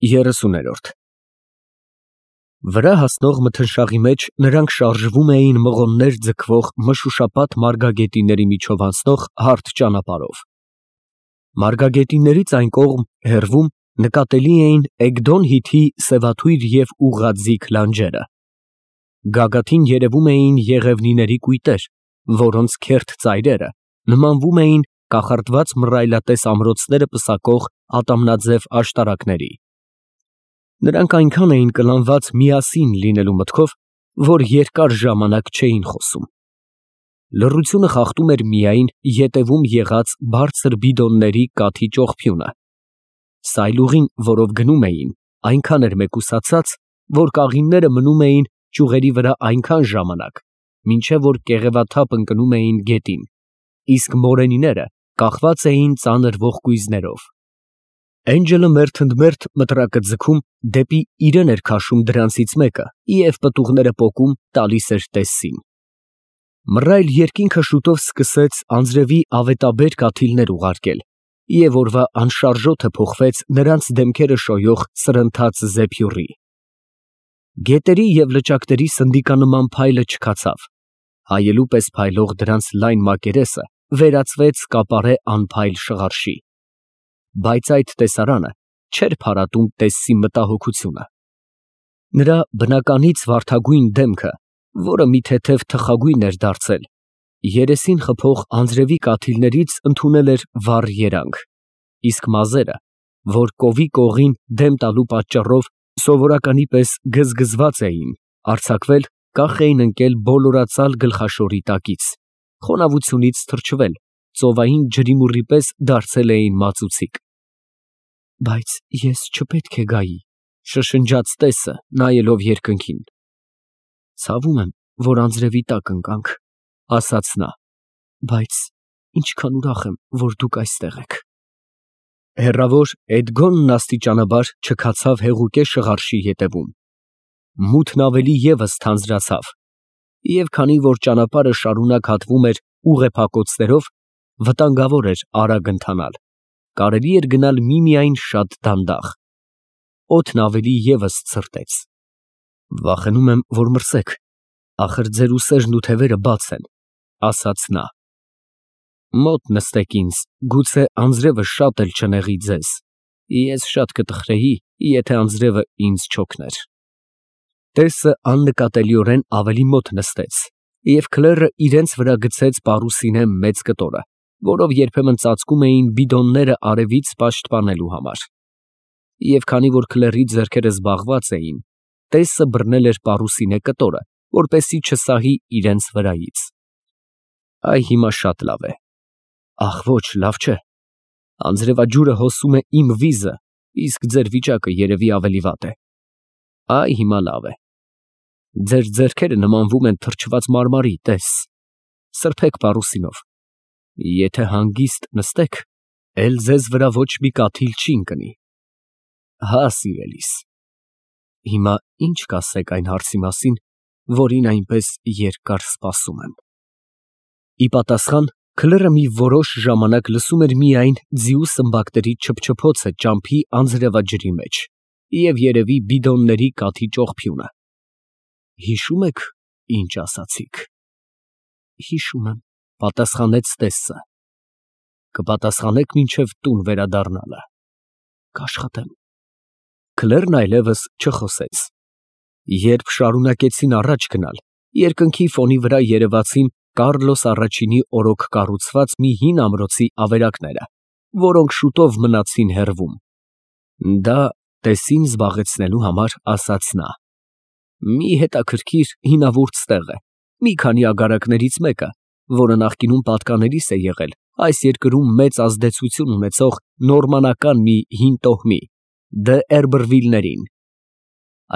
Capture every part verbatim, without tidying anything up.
երեսուներորդ Վրա հասնող մթնշաղի մեջ նրանք շարժվում էին մղոններ ձգվող մշուշապատ մարգագետինների միջով անցնող հարթ ճանապարհով։ Մարգագետիններից այն կողմ, հեռվում, նկատելի էին Էգդոն հիթի սևաթույր և ուղղաձիգ լանջերը։ Գագաթին երևում էին եղևնիների կույտեր, որոնց քերթ ծայրերը նմանվում էին կախարդված մռայլատես ամրոցները պսակող ատամնաձև աշտարակների։ Նրանք այնքան էին կլանված միասին լինելու մտքով, որ երկար ժամանակ չէին խոսում։ Լռությունը խախտում էր միայն ետևում եղած բարձր բիդոնների կաթի ճողփյունը։ Սայլուղին, որով գնում էին, այնքան էր մեկուսացած, որ կաղինները մնում էին ճյուղերի վրա այնքան ժամանակ, մինչև որ կեղևաթափ ընկնում էին գետին, իսկ մորենիները կախված էին ծանր ողկույզներով։ Էնջելը մերթընդմերթ մտրակը ձգում դեպի իրեն էր քաշում դրանցից մեկը և պտուղները պոկում տալիս էր տեսսին։ Մռայլ երկինքը շուտով սկսեց անձրևի ավետաբեր կաթիլներ ուղարկել, և օրվա անշարժոթը փոխվեց նրանց դեմքերը շոյող սրընթաց զեփյուռի։ Գետերի և լճակների սնդիկանման փայլը չքացավ, հայելու պես փայլող դրանց լայն մակերեսը վերածվեց կապարե անփայլ շղարշի։ Բայց այդ տեսարանը չէր փարատում տեսսի մտահոգությունը։ Նրա բնականից վարդագույն դեմքը, որը մի թեթև թխագույն էր դարձել, երեսին խփող անձրևի կաթիլներից ընդունել էր վառ երանգ, իսկ մազերը, որ կովի կողին դեմ տալու պատճառով սովորականի պես գզգզված էին, արձակվել, կախ էին ընկել բոլորացալ գլխաշորի տակից, խոնավությունից թրջվել, ծովային ջրիմուռի պես դարձել էին մածուցիկ։ Բայց ես չպետք է գայի, շշնջաց տեսը, նայելով երկնքին։ Ցավում եմ, որ անձրևի տակ ընկանք, ասաց նա, բայց ինչքան ուրախ եմ, որ դուք այստեղ եք։ Հեռավոր Էդգոնն աստիճանաբար չքացավ հեղուկե շղարշի ետևում։ Մութն ավելի ևս թանձրացավ, և քանի որ ճանապարհը շարունակ հատվում էր ուղեփակոցներով, վտանգավոր էր արագ ընթանալ, կարելի էր գնալ միմիայն շատ դանդաղ։ Օդն ավելի ևս ցրտեց։ Վախենում եմ, որ մրսեք, ախր ձեր ուսերն ու թևերը բաց են, ասաց նա։ Մոտ նստեք ինձ, գուցե անձրևը շատ էլ չնեղի ձեզ, ես շատ կտխրեի, եթե անձրևը ինձ չօգներ։ Տեսը աննկատելիորեն ավելի մոտ նստեց, և քլեռը իրենց վրա գցեց պարուսինե մեծ կտորը, որով երբեմն ծածկում էին բիդոնները արևից պաշտպանելու համար։ Եվ քանի որ քլեռի ձեռքերը զբաղված էին, տեսը բռնել էր պարուսինե կտորը, որպեսզի չսահի իրենց վրայից։ Այ հիմա շատ լավ է։ Ախ ոչ, լավ չէ։ Անձրևաջուրը հոսում է իմ վիզը, իսկ ձեր վիճակը երևի ավելի վատ է։ Այ հիմա լավ է։ Ձեր ձեռքերը նմանվում են թրջված մարմարի, տես։ Սրբեք պարուսինով։ Եթե հանգիստ նստեք, էլ ձեզ վրա ոչ մի կաթիլ չի ընկնի։ Հա, սիրելիս։ Հիմա ինչ կասեք այն հարցի մասին, որին այնպես երկար սպասում եմ։ Ի պատասխան, քլեռը մի որոշ ժամանակ լսում էր միայն ձիու սմբակների չփչփոցը ճամփի անձրևաջրի մեջ և երևի բիդոնների կաթի ճողփյունը։ Հիշո՞ւմ եք, ինչ ասացիք։ Հիշում եմ, պատասխանեց տեսը։ Կպատասխանեք մինչև տուն վերադառնալը։ Կաշխատեմ։ Քլեռն այլևս չխոսեց։ Երբ շարունակեցին առաջ գնալ, երկնքի ֆոնի վրա երևացին Կառլոս առաջինի օրոք կառուցված մի հին ամրոցի ավերակները, որոնք շուտով մնացին հեռվում։ Դա տեսին զբաղեցնելու համար ասաց նա։ Մի հետաքրքիր հինավուրց տեղ է, մի քանի ագարակներից մեկը, որը նախկինում պատկանելիս է եղել այս երկրում մեծ ազդեցություն ունեցող նորմանական մի հին տոհմի՝ դը Էրբրվիլներին։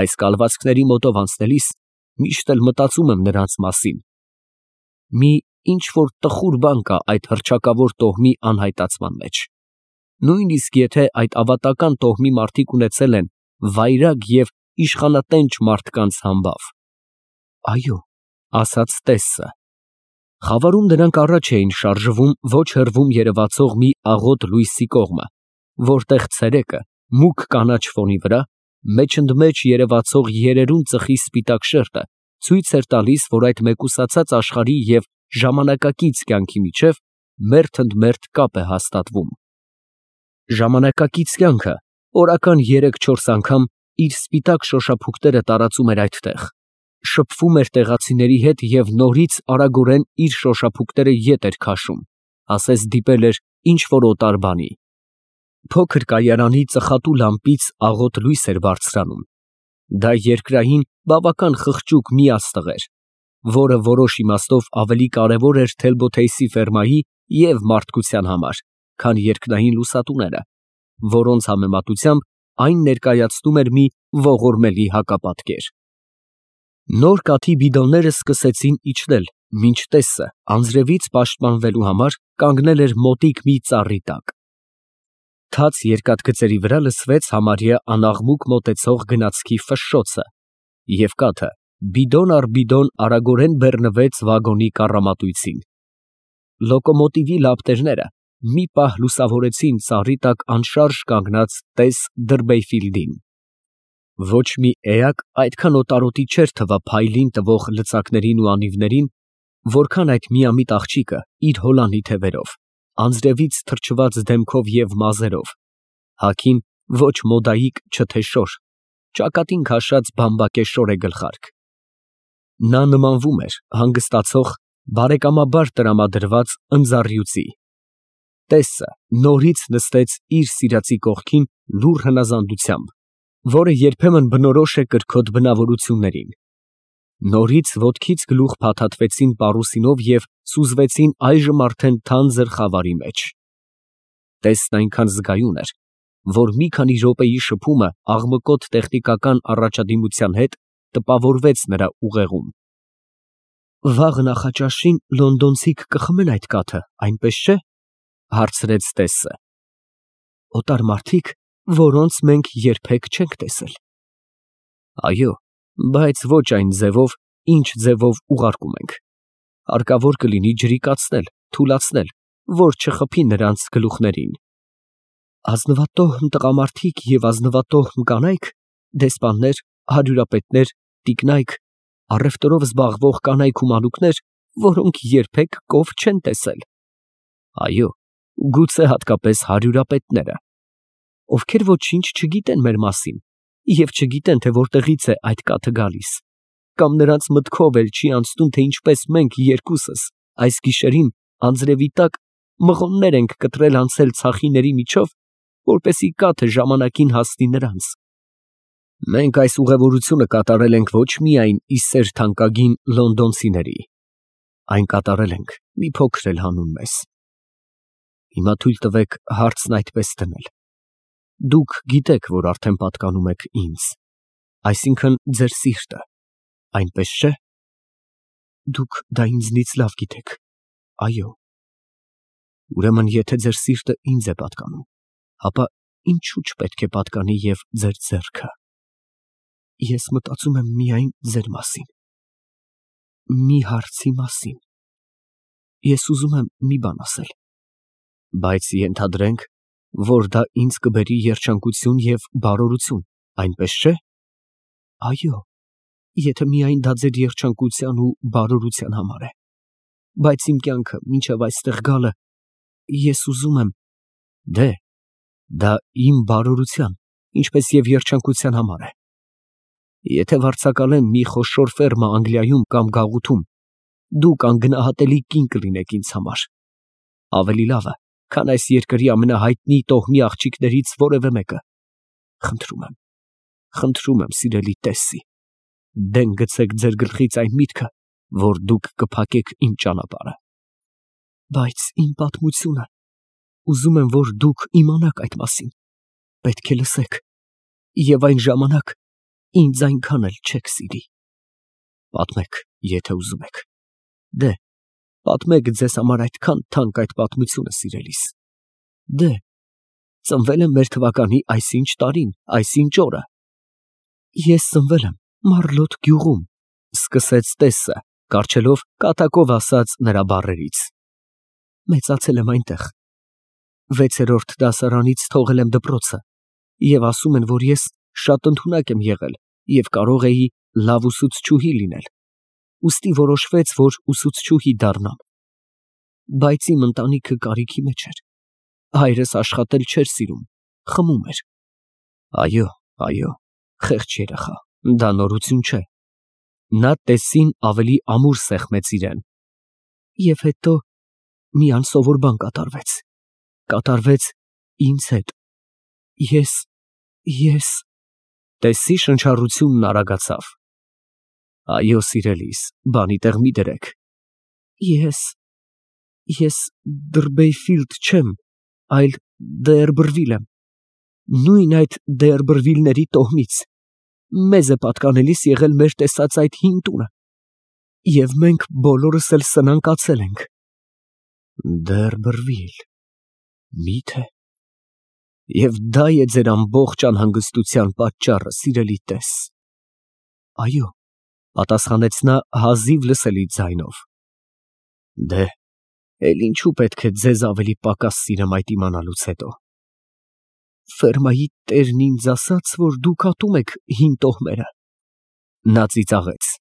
Այս կալվածքների մոտով անցնելիս միշտ էլ մտածում եմ նրանց մասին։ Մի ինչ-որ տխուր բան կա այդ հռչակավոր տոհմի անհայտացման մեջ։ Նույնիսկ եթե այդ ավատական տոհմի մարդիկ ունեցել են վայրագ և իշխանատենչ մարդկանց համբավ։ Այո, ասաց տեսը։ Խավարում նրանք առաջ էին շարժվում ոչ հեռվում երևացող մի աղոտ լույսի կողմը, որտեղ ցերեկը մուգ կանաչ ֆոնի վրա, մեջընդմեջ երևացող երերուն ծխի սպիտակ շերտը ցույց էր տալիս, որ այդ մեկուսացած աշխարհի և ժամանակակից կյանքի միջև մերթ ընդ մերթ կապ է հաստատվում։ Ժամանակակից կյանքը օրական երեք֊չորս անգամ իր սպիտակ շոշափուկները տարածում էր այդտեղ, շփվում էր տեղացիների հետ և նորից արագորեն իր շոշափուկները ետ էր քաշում, ասես դիպել էր ինչ֊որ օտար բանի։ Փոքր կայարանի ծխատու լամպից աղոտ լույս էր բարձրանում։ Դա երկրային բավական խղճուկ մի աստղ էր, որը որոշ իմաստով ավելի կարևոր էր Թելբոթեյսի ֆերմայի և մարդկության համար, քան երկնային լուսատուները, որոնց համեմատությամբ այն ներկայացնում էր մի ողորմելի հակապատկեր։ Նոր կաթի բիդոնները սկսեցին իջնել, մինչ Տեսսը անձրևից պաշտպանվելու համար կանգնել էր մոտիկ մի ծառի տակ։ Թաց երկաթգծերի վրա լսվեց համարյա անաղմուկ մոտեցող գնացքի ֆշշոցը, և կաթը բիդոն առ բիդոն արագորեն բեռնվեց վագոնի կառամատույցին։ Լոկոմոտիվի լապտերները մի պահ լուսավորեցին ծառի տակ անշարժ կանգնած տես Դըրբեյֆիլդին։ Ոչ մի էակ այդքան օտարոտի չէր թվա փայլին տվող լծակներին ու անիվներին, որքան այդ միամիտ աղջիկը իր հոլանի թևերով, անձրևից թրջված դեմքով և մազերով, հագին ոչ մոդայիկ, չէ շոր, ճակատին քաշած բամբակե շորե գլխարկ։ Նա նմանվում էր հանգստացող, բարեկամաբար տրամադրված ընձառյուծի։ Տեսսը նորից նստեց իր սիրածի կողքին լուռ հնազանդությամբ, որը երբեմն բնորոշ է կրքոտ բնավորություններին։ Նորից ոտքից գլուխ փաթաթվեցին պարուսինով և սուզվեցին այժմ արդեն թանձր խավարի մեջ։ Տեսսն այնքան զգայուն էր, որ մի քանի րոպեի շփումը աղմկոտ տեխնիկական առաջադիմության հետ տպավորվեց նրա ուղեղում։ «Վաղ նախաճաշին լոնդոնցիք կխմեն այդ կաթը, այնպես չէ՞, հարցրեց Տեսսը։ Օտար մարդիկ, որոնց մենք երբեք չենք տեսել։ Այո, բայց ոչ այն ձևով, ինչ ձևով ուղարկում ենք։ Հարկավոր կլինի ջրիկացնել, թուլացնել, որ չխփի նրանց գլուխներին։ Ազնվատոհմ տղամարդիկ և ազնվատոհմ կանայք, դեսպաններ, հարյուրապետներ, տիկնայք, առևտրով զբաղվող կանայք ու մանուկներ, որոնք երբեք կով չեն տեսել։ Այո, գուցե հատկապես հարյուրապետները, ովքեր ոչինչ չգիտեն մեր մասին և չգիտեն, թե որտեղից է այդ կաթը գալիս, կամ նրանց մտքով էլ չի անցնում, թե ինչպես մենք երկուսս այս գիշերին անձրևի տակ մղոններ ենք կտրել անցել ցախիների միջով, որպեսզի կաթը ժամանակին հասնի նրանց։ Մենք այս ուղևորությունը կատարել ենք ոչ միայն ի սեր թանկագին լոնդոնցիների, այն կատարել ենք մի փոքր էլ հանուն մեզ։ Հիմա թույլ տվեք հարցն այդպես դնել. դուք գիտեք, որ արդեն պատկանում եք ինձ, այսինքն ձեր սիրտը, այնպես չէ։ Դուք դա ինձնից լավ գիտեք, այո։ Ուրեմն, եթե ձեր սիրտը ինձ է պատկանում, ապա ինչու չպետք է պատկանի և ձեր ձեռքը։ Ես մտածում եմ միայն ձեր մասին, մի հարցի մասին։ Ես ուզում եմ մի բան ասել, բայց ենթադրենք, որ դա ինձ կբերի երջանկություն և բարօրություն, այնպես չէ։ Այո, եթե միայն դա ձեր երջանկության ու բարօրության համար է, բայց իմ կյանքը մինչև այստեղ գալը, ես ուզում եմ, դե, դա իմ բարօրության, ինչպես և երջանկության համար է։ Եթե վարձակալեմ մի խոշոր ֆերմա Անգլիայում կամ գաղութում, դուք անգնահատելի կին կլինեք ինձ համար, ավելի լավը, քան այս երկրի ամենահայտնի տոհմի աղջիկներից որևէ մեկը։ Խնդրում եմ, խնդրում եմ, սիրելի Տեսսի, դեն գցեք ձեր գլխից այն միտքը, որ դուք կփակեք իմ ճանապարհը։ Բայց իմ պատմությունը, ուզում եմ, որ դուք իմանաք այդ մասին, պետք է լսեք, և այն ժամանակ ինձ այնքան էլ չեք սիրի։ Պատմեք, եթե ուզում եք։ Դե, պատմեք ձեզ համար այդքան թանկ այդ պատմությունը սիրելիս։ Դե, ծնվել եմ մեր թվականի այսինչ տարին, այսինչ օրը։ Ես ծնվել եմ Մարլոտ գյուղում, սկսեց Տեսսը, կառչելով կատակով ասած նրա բառերից։ Մեծացել եմ այնտեղ։ Վեցերորդ դասարանից թողել եմ դպրոցը Եվ ասում են, որ ես շատ ընդունակ եմ եղել և կարող էի լավ ուսուցչուհի լինել, ուստի որոշվեց, որ ուսուցչուհի դառնամ, բայց իմ ընտանիքը կարիքի մեջ էր, հայրս աշխատել չէր սիրում, խմում էր։ Այո, այո, խեղճ երեխա, դա նորություն չէ։ Նա տեսին ավելի ամուր սեղմեց իրան։ Եվ հետո մի անսովոր բան կատարվեց, կատարվեց ինձ հետ, ես, ես… Տեսի շնչառությունն արագացավ։ Այո, սիրելիս, բանի տեղ մի դրեք։ Ես… ես Դըրբեյֆիլդ չեմ, այլ Դեերբրվիլ եմ, նույն այդ Դեերբրվիլների տոհմից, մեզ է պատկանելիս եղել մեր տեսած այդ հին տունը, և մենք բոլորս էլ սնանկացել ենք։ Դեերբրվիլ… մի՞թե… Եվ դա է ձեր ամբողջ անհանգստության պատճառը, սիրելի տես։ Այո, պատասխանեց նա հազիվ լսելի ձայնով։ Դե, էլ ինչու պետք է ձեզ ավելի պակաս սիրեմ այդ իմանալուց հետո։ Ֆերմայի տերն ինձ ասաց, որ դուք ատում եք հին տոհմերը։ Նա ծիծաղեց։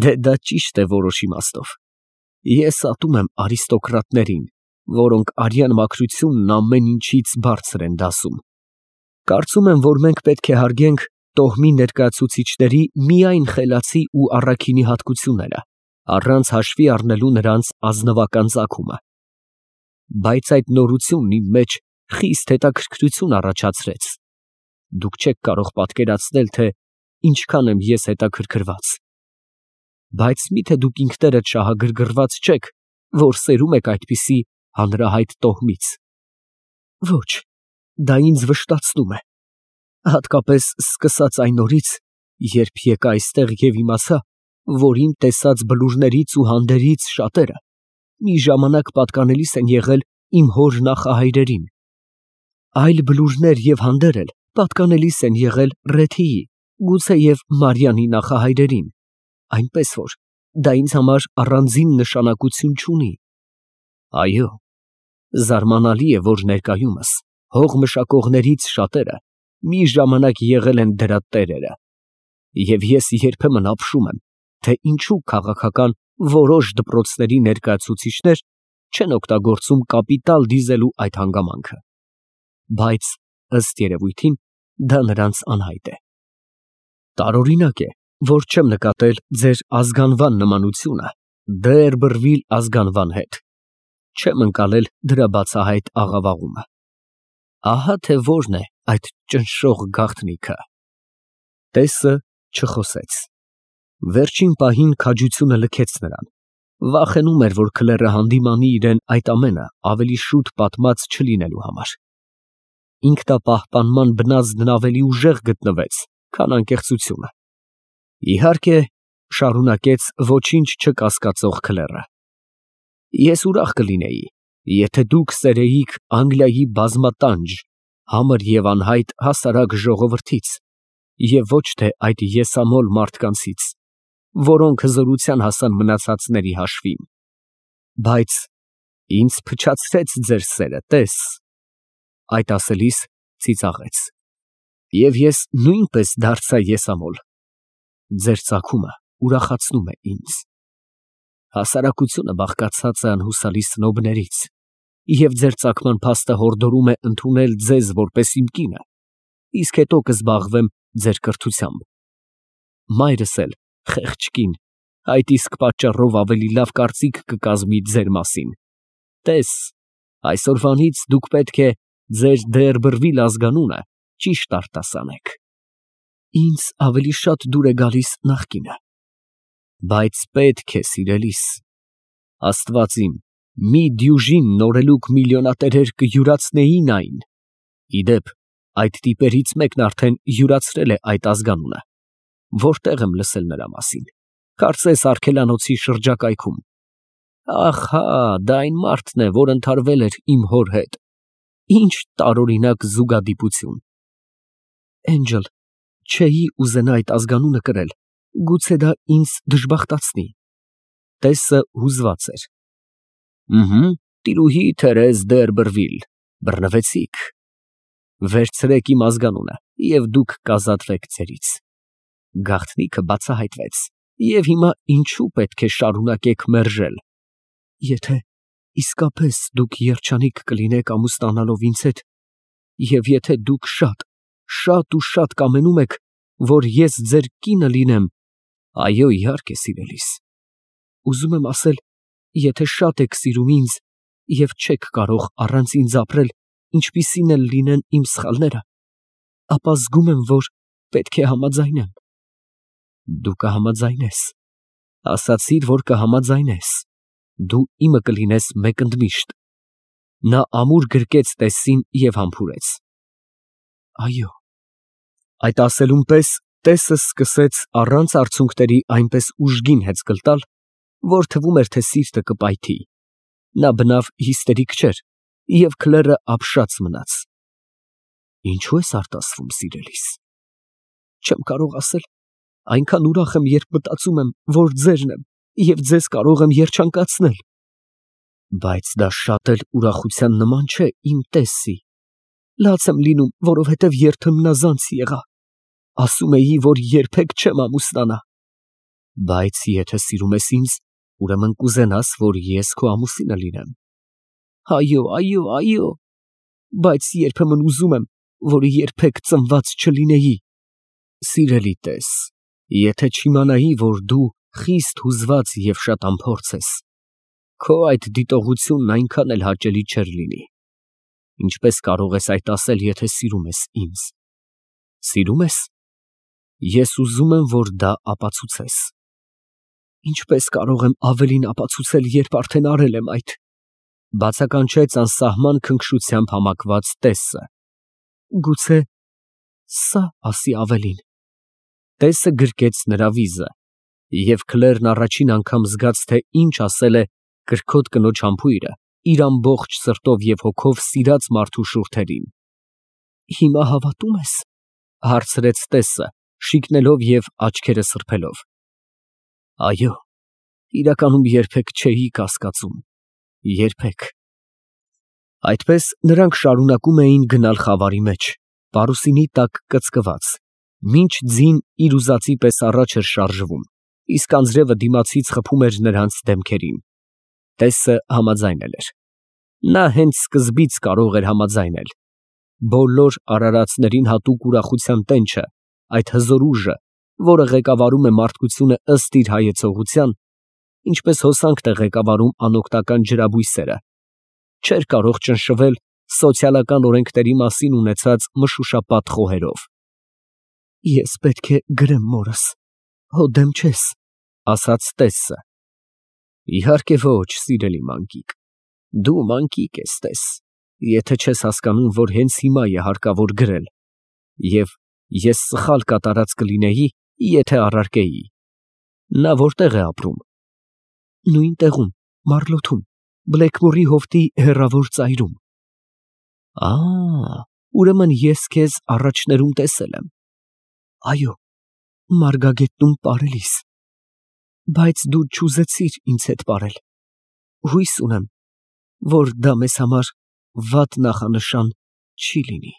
Դե դա ճիշտ է որոշ իմաստով։ Ես ատում եմ արիստոկրատներին, որոնք արյան մաքրությունն ամեն ինչից բարձր են դասում։ Կարծում եմ, որ մենք պետք է հարգենք տոհմի ներկայացուցիչների միայն խելացի ու առաքինի հատկությունները, առանց հաշվի առնելու նրանց ազնվական ծագումը։ Բայց այդ նորությունն իմ մեջ խիստ հետաքրքրություն առաջացրեց։ Դուք չեք կարող պատկերացնել, թե ինչքան եմ ես հետաքրքրված։ Բայց մի՞թե դուք ինքներդ շահագրգռված չեք, որ սերում եք այդպիսի հանրահայտ տոհմից։ Ոչ, դա ինձ վշտացնում է, հատկապես սկսած այն օրից, երբ եկա այստեղ և իմացա, որ իմ տեսած բլուրներից ու հանդերից շատերը մի ժամանակ պատկանելիս են եղել իմ հոր նախահայրերին։ Այլ բլուրներ և հանդեր էլ պատկանելիս են եղել Ռեթիի, գուցեև Մարիանի նախահայրերին, այնպես որ դա ինձ համար առանձին նշանակություն չունի։ Այո, զարմանալի է, որ ներկայումս հող մշակողներից շատերը մի ժամանակ եղել են դրա տերերը, և ես երբեմն ապշում եմ, թե ինչու քաղաքական որոշ դպրոցների ներկայացուցիչներ չեն օգտագործում կապիտալ դիզելու այդ հանգամանքը։ Բայց, ըստ երևույթին, դա նրանց անհայտ է։ Տարօրինակ է, որ չեմ նկատել ձեր ազգանվան նմանությունը Դեերբրվիլ ազգանվան հետ։ Չեմ ընկալել դրա բացահայտ աղավաղումը։ Ահա թե որն է այդ ճնշող գաղտնիքը։ Տեսը չխոսեց։ Վերջին պահին քաջությունը լքեց նրան։ Վախենում էր, որ քլերը հանդիմանի իրան այդ ամենը ավելի շուտ պատմած չլինելու համար։ Ինքնապահպանման բնազդն ավելի ուժեղ գտնվեց, քան անկեղծությունը։ Իհարկե, շարունակեց ոչինչ չկասկածող քլերը, ես ուրախ կլինեի, եթե դուք սերեիք Անգլիայի բազմատանջ, համր և անհայտ հասարակ ժողովրդից, և ոչ թե այդ եսամոլ մարդկանցից, որոնք հզորության հասան մնացածների հաշվին։ Բայց ինձ փչացրեց ձեր սերը, տես։ Այդ ասելիս ծիծաղեց։ Եվ ես նույնպես դարձա եսամոլ։ Ձեր ծագումը ուրախացնում է ինձ։ Հասարակությունը բաղկացած է անհուսալի սնոբներից, և ձեր ծագման փաստը հորդորում է ընդունել ձեզ որպես իմ կինը, իսկ հետո կզբաղվեմ ձեր կրթությամբ։ Մայրս էլ, խեղճ կին, այդ իսկ պատճառով ավելի լավ կարծիք կկազմի ձեր մասին։ Տես, այսօրվանից դուք պետք է ձեր Դեերբրվիլ ազգանունը ճիշտ արտասանեք։ Ինձ ավելի շատ դուր է գալիս նախկինը։ Բայց պետք է, սիրելիս, Աստված իմ, մի դյուժին նորելուկ միլիոնատերեր կյուրացնեին այն։ Ի դեպ, այդ տիպերից մեկն արդեն յուրացրել է այդ ազգանունը։ Որտեղ եմ լսել նրա մասին։ Կարծես արգելանոցի շրջակայքում։ Ահ, հա, դա այն մարդն է, որ ընդհարվել էր իմ հոր հետ։ Ինչ տարօրինակ զուգադիպություն։ Էնջլ, չէի ուզենա այդ ազգանունը կրել, գուցե դա ինձ դժբախտացնի։ Տեսը հուզված էր։ Ըհը, տիրուհի Թերեզ Դեերբրվիլ, բռնվեցիք։ Վերցրեք իմ ազգանունը և դուք կազատվեք ձերից։ Գաղտնիքը բացահայտվեց, և հիմա ինչու պետք է շարունակեք մերժել։ Եթե իսկապես դուք երջանիկ կլինեք ամուսնանալով ինձ հետ, և եթե դուք շատ, շատ ու շատ կամենում եք, որ ես ձեր կինը լինեմ, այո, իհարկե, սիրելիս, ուզում եմ ասել, եթե շատ եք սիրում ինձ և չեք կարող առանց ինձ ապրել, ինչպիսին էլ լինեն իմ սխալները, ապա զգում եմ, որ պետք է համաձայնեմ։ Դու կհամաձայնես, ասացիր, որ կհամաձայնես, դու իմը կլինես մեկ ընդմիշտ։ Նա ամուր գրկեց տեսին և համբուրեց։ Այո։ Այդ ասելուն պես տեսը սկսեց առանց արցունքների այնպես ուժգին հեծկլ տալ, որ թվում էր, թե սիրտը կպայթի։ Նա բնավ հիստերիկ չէր և քլերը ապշած մնաց։ Ինչո՞ւ ես արտասվում, սիրելիս։ Չեմ կարող ասել, այնքան ուրախ եմ, երբ մտածում եմ, որ ձերն եմ և ձեզ կարող եմ երջանկացնել։ Բայց դա շատ էլ ուրախության նման չէ, իմ տեսի։ Լաց եմ լինում, որովհետև երթմնազանց եղա։ Ասում էի, որ երբեք չեմ ամուսնանա։ Բայց եթե սիրում ես ինձ, ուրեմն կուզենաս, որ ես քո ամուսինը լինեմ։ Այո, այո, այո։ Բայց երբեմն ուզում եմ, որ երբեք ծնված չլինեի։ Սիրելի տես, եթե չիմանայի, որ դու խիստ հուզված և շատ անփորձ ես, քո այդ դիտողությունն այնքան էլ հաճելի չէր լինի։ Ինչպես կարող ես այդ ասել, եթե սիրում ես ինձ։ Սիրում ես։ Ես ուզում եմ, որ դա ապացուցես։ Ինչպես կարող եմ ավելին ապացուցել, երբ արդեն արել եմ այդ, բացականչեց անսահման քնքշությամբ համակված տեսը։ Գուցե սա ասի ավելին։ Տեսը գրկեց նրա վիզը, և քլերն առաջին անգամ զգաց, թե ինչ ասել է կրքոտ կնոջ համբույրը իր ամբողջ սրտով և հոգով սիրած մարդու շուրթերին։ Հիմա հավատո՞ւմ ես, հարցրեց տեսը, շիկնելով և աչքերը սրբելով։ Այո, իրականում երբեք չէի կասկածում, երբեք։ Այդպես նրանք շարունակում էին գնալ խավարի մեջ, պարուսինի տակ կծկված, մինչ ձին իր ուզածի պես առաջ էր շարժվում, իսկ անձրևը դիմացից խփում էր նրանց դեմքերին։ Տեսը համաձայնել էր։ Նա հենց սկզբից կարող էր համաձայնել։ Բոլոր արարածներին հատուկ ուրախության տենչը, այդ հզոր ուժը, որը ղեկավարում է մարդկությունը ըստ իր հայեցողության, ինչպես հոսանքն է ղեկավարում անօգնական ջրաբույսերը, չէր կարող ճնշվել սոցիալական օրենքների մասին ունեցած մշուշապատ խոհերով։ Ես պետք է գրեմ մորս, հո դեմ չես, ասաց տեսը։ Իհարկե ոչ, սիրելի մանկիկ, դու մանկիկ ես, տես, եթե չես հասկանում, որ հենց հիմա է հարկավոր գրել, և ես սխալ կատարած կլինեի, եթե առարկեի։ Նա որտեղ է ապրում։ Նույն տեղում, Մարլոթում, Բլեքմորի հովտի հեռավոր ծայրում։ Ա, ուրեմն ես քեզ առաջներում տեսել եմ։ Այո, Մարգագետնում պարելիս։ Բայց դու չուզեցիր ինձ հետ պարել։ Հույս ունեմ, որ դա մեզ համար վատ նախանշան չի լինի։